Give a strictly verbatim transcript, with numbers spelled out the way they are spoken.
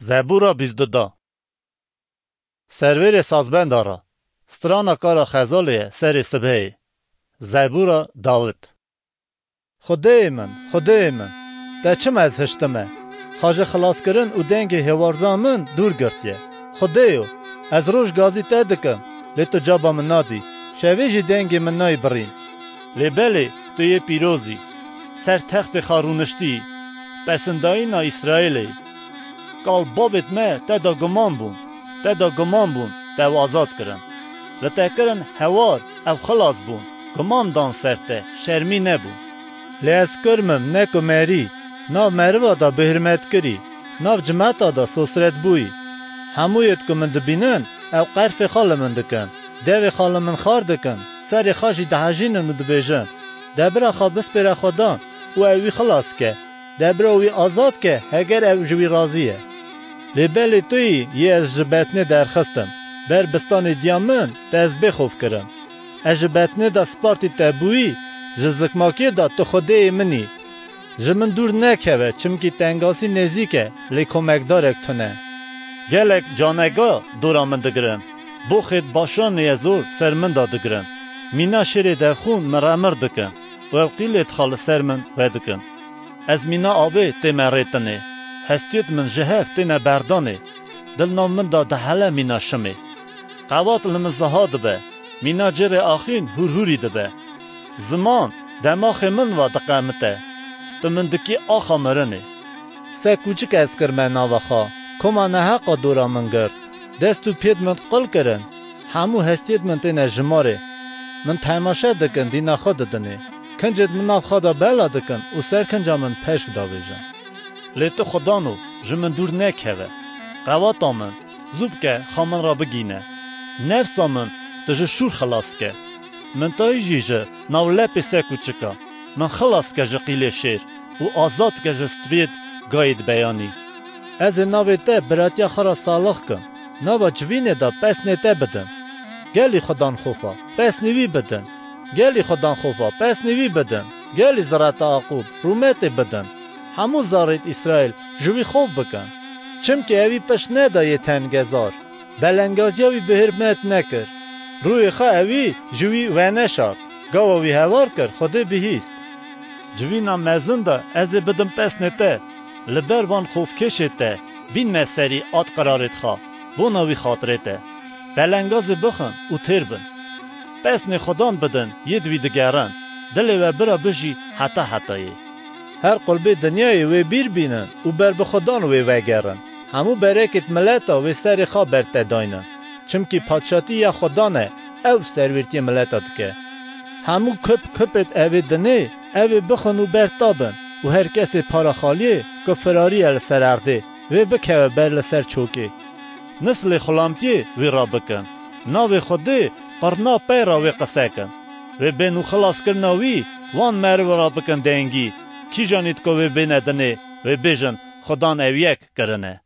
Zebûra bîst du da. Servêrê sazbenda ra, strana kara xezalê ye serê sibheyê. Zebûra Dawid. Xwedêyê min, Xwedêyê min, te çima ez hiştime? Xa ji xilaskirin û dengê hêwarza min dûr girtiye. Xwedêyo, ez roj gazî te dikim, lê tu caba min nadî, şevê jî dengê min nayê birîn. Lê belê tu yê pîroz î, ser textê xwe rûniştî yî, pesindayîna Îsraîlê yî. Kal babêt me te da guman bûn, te da guman bûn, te ew azad kirin. Li te kirin hewar, ew xilas bûn, guman dan ser te, şermî nebûn. Lê ez kurm im, ne ku merî, nav meriva da bihirmet kirî, nav cimeta da sosret bûyî. Hemû yêt ku min dibînin, ew qerfê xwe li min dikin, devê xwe li min xar dikin, serê xwe jî dihejînin û dibêjin, debira xwe bispêre Xwedan û ew wî xilas ke, debira wî azad ke, heger ew ji wî razî ye. Lê belê tu yî yê ez ji betnê derxistim, ber bistanê diya min te ez bêxof kirim. Ez ji betnê de spartî te bûyî, ji zikmakê de tu Xwedêyê min î. Ji min dûr nekeve, çimkî tengasî nêzîk e, lê komekdarek tune. Gelek canega dora min digirin. Boxêt Başanê ye zor ser min de digirin. Mîna şêrê devxûn min remir dikin û ew qîlêt xwe li ser min vedikin. Ez mîna avê tê me rêtinê. Hestiyêt min ji hev têne berdanê. Dil nav min de dihele mîna şimê. Qewat li min ziha dibe. Mîna cêrê axîn hûrhûrî dibe. Ziman demaxê min ve diqemite. Tu min dikî axa mirinê. Se kûçik ez kirme nava xwe, koma neheqa dora min girt. Dest û pêt min qil kirin. Hemû hestiyêt min têne jimarê. Min temaşe dikin, dîna xwe didinê. Kincêt min nav xwe de bela dikin û ser kinca min peşk davêjin. Lê tu Xwedano, ji min dûr nekeve. Qewata min, zû bike, xa min re bigîne. Nefsa min, tu ji şûr xilas ke. Min tayî jî ji nav lepê se kûçika. Min xilas ke ji qîlê şêr û azad ke ji striyêt gayêt beyanî. Ez ê navê te biratiya xwe re salix kim. Nava civînê de pesnê te bidim. Gelî Xudan xofa, pesnê wî bidin. Gelî Xudan xofa, pesnê wî bidin. Gelî zireta Aqûb, rûmetê bidin. Hemû zarêt Îsraîl ji wî xof bikin. Çimkî ewî pişt neda yê tengezar. Belengaziya wî bi hirmet nekir. Rûyê xwe ewî ji wî veneşart. Gawa wî hewar kir, Xwedê bihîst. Civîna mezin de ez ê bidim pesnê te. Li ber van xofkêşê te, bînme serî at qirarêt xwe, bona wî xatirê te. Belengazê bixin û têr bin. Pesnê Xudan bidin, yêd wî digerin. Dilê we bira bijî heta hetayê. Her qulbê dinyayê wê bîr bînin û ber bi Xudan wê vegerin. Hemû berekêt mileta wê serê xwe ber te daynin. Çimkî padşatî ya Xudan e, ew serwêrtiyê mileta dike. Hemû kip kipêt evê dinê, ew ê bixin û ber ta bin û her kesê para xaliyê ku firarî ye li ser erdê, wê bikeve ber li ser çokê. Nislê xulamtiyê wî rabikin. Navê Xwedê qirna pey re wê qise kin. Wê bên û xilaskirina wî wan meriv re bikin dengî. Kîjanît ku wê bêne dinê, wê bêjin, Xudan ew yek kirine.